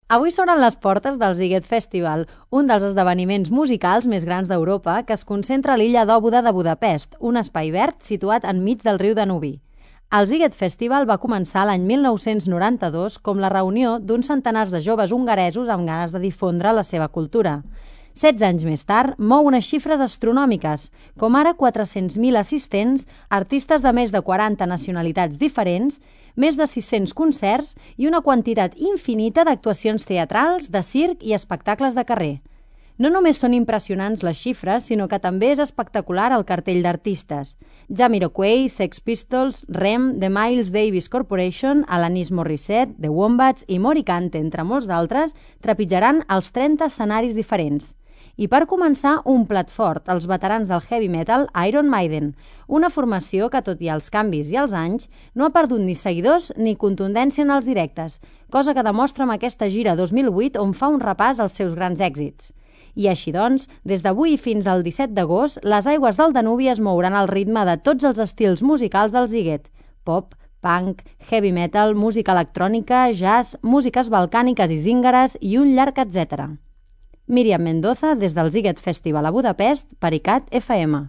Avui s'obren les portes del Sziget Festival, un dels esdeveniments musicals més grans d'Europa que es concentra a l'illa d'Óbuda de Budapest, un espai verd situat enmig del riu Danubi. El Sziget Festival va començar l'any 1992 com la reunió d'uns centenars de joves hongaresos amb ganes de difondre la seva cultura. 16 anys més tard, mou unes xifres astronòmiques, com ara 400.000 assistents, artistes de més de 40 nacionalitats diferents, més de 600 concerts i una quantitat infinita d'actuacions teatrals, de circ i espectacles de carrer. No només són impressionants les xifres, sinó que també és espectacular el cartell d'artistes. Jamiroquai, Sex Pistols, Rem, The Miles Davis Corporation, Alanis Morissette, The Wombats i Moricante, entre molts d'altres, trepitjaran els 30 escenaris diferents. I per començar, un plat fort, els veterans del heavy metal Iron Maiden, una formació que, tot i els canvis i els anys, no ha perdut ni seguidors ni contundència en els directes, cosa que demostra amb aquesta gira 2008 on fa un repàs als seus grans èxits. I així doncs, des d'avui fins al 17 d'agost, les aigües del Danubi es mouran al ritme de tots els estils musicals del Sziget: pop, punk, heavy metal, música electrònica, jazz, músiques balcàniques i zíngares i un llarg etcètera. Míriam Mendoza, des del Sziget Festival a Budapest, per ICAT FM.